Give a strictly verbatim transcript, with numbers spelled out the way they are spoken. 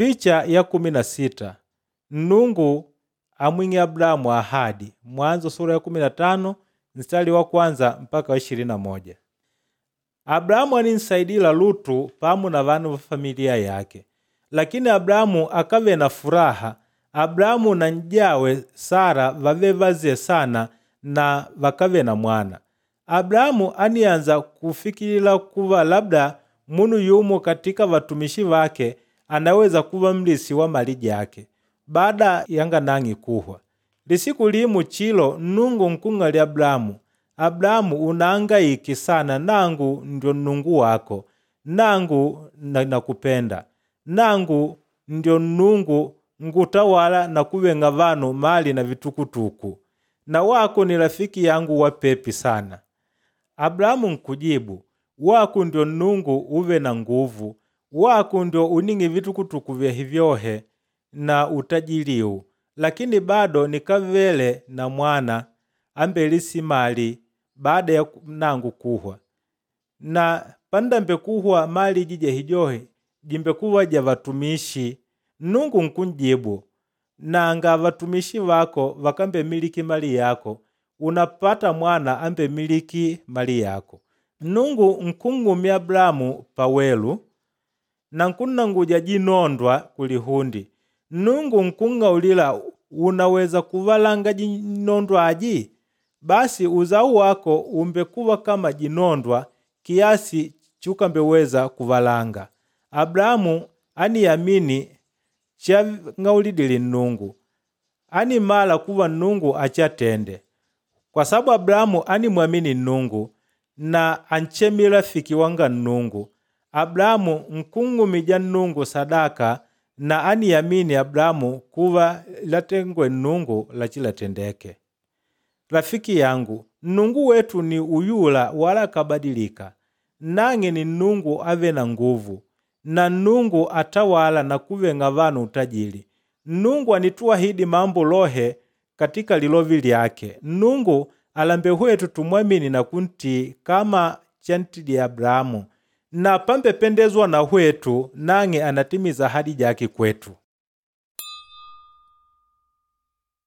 Picha ya kumi na sita Nnungu amwing'e Abrahamu ahadi Mwanzo sura ya kumi na tano mstari wa kwanza mpaka wa ishirini na moja. Abrahamu aninsaidila Lutu pamu na vanu va familia yake, lakini Abrahamu akave na furaha. Abrahamu na n'jawe Sara vave vaze sana na vakave na mwana. Abrahamu anianza kufikilila kuva labda munu yumo katika vatumishi vake anaweza kuva mlisi wa mali jake baada yanga nang'e kuhwa. Lisiku limu chilo Nnungu nkung'ali Abrahamu, Abrahamu unahangaike sana, nangu ndio Nnungu wako, nangu nakupenda, nangu ndio Nnungu ngutawala na kuveng'a vanu mali na vitukutuku, na wako ni rafiki yangu wa pepi sana. Abrahamu nkujibu, waku ndio Nnungu uve na nguvu, waku ndio uning'e vitukutuku vyahivyohe na utajiliu, lakini bado nikavele na mwana ambelisi mali baada ya nangu kuhwa. Na pandambe kuhwa mali iji jahijohe jimbekuva ja vatumishi. Nnungu nkunjibu, nanga vatumishi vako vakambemiliki mali yako, unapata mwana ambemiliki mali yako. Nnungu nkung'umya Abrahamu pawelu na nkunnanguja jinondwa kulihundi. Nnungu nkung'aulila unaweza kuvalanga jinondwa aji? Basi uzao wako umbekuva kama jinondwa kiasi chukambeweza kuvalanga. Abrahamu aniyamini chang'aulidile Nnungu, animala kuva Nnungu achatende. Kwa sababu Abrahamu animwamini Nnungu na anchemile rafiki wanga Nnungu. Abrahamu nkung'umija Nnungu sadaka na aniyamini Abrahamu kuva latengwe Nnungu lachilatendeke. Rafiki yangu, Nnungu wetu ni uyula wala kabadilika. Nang'e ni Nnungu ave na nguvu, na Nnungu atawala na kuveng'a vanu utajili. Nnungu anituahidi mambo lohe katika lilovi lyake. Nnungu alambe hwetu tumwamini na kuntii kama chantidi Abrahamu, na pambependezwa na hwetu nang'e anatimiza ahadi jake kwetu.